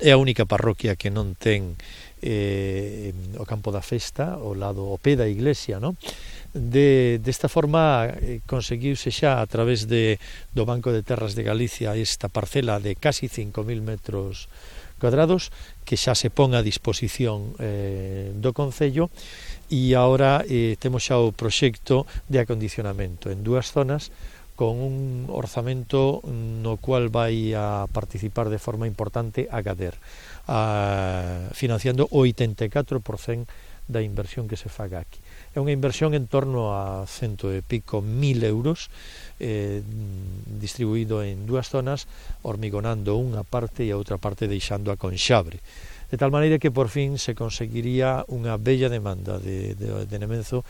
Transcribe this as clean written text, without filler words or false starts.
É a única parroquia que non ten o campo da festa, ao lado, ao pé da iglesia, non? Desta forma conseguiuse xa a través do Banco de Terras de Galicia esta parcela de casi 5.000 metros cuadrados que xa se pon a disposición do Concello, e agora temos xa o proxecto de acondicionamento en 2 zonas con un orzamento no cual vai a participar de forma importante a Gader, financiando o 84% da inversión que se faga aquí. É unha inversión en torno a 100 e pico mil euros, distribuído en 2 zonas, hormigonando unha parte e a outra parte deixando a con xabre, de tal maneira que por fin se conseguiría unha bella demanda de Nemenzo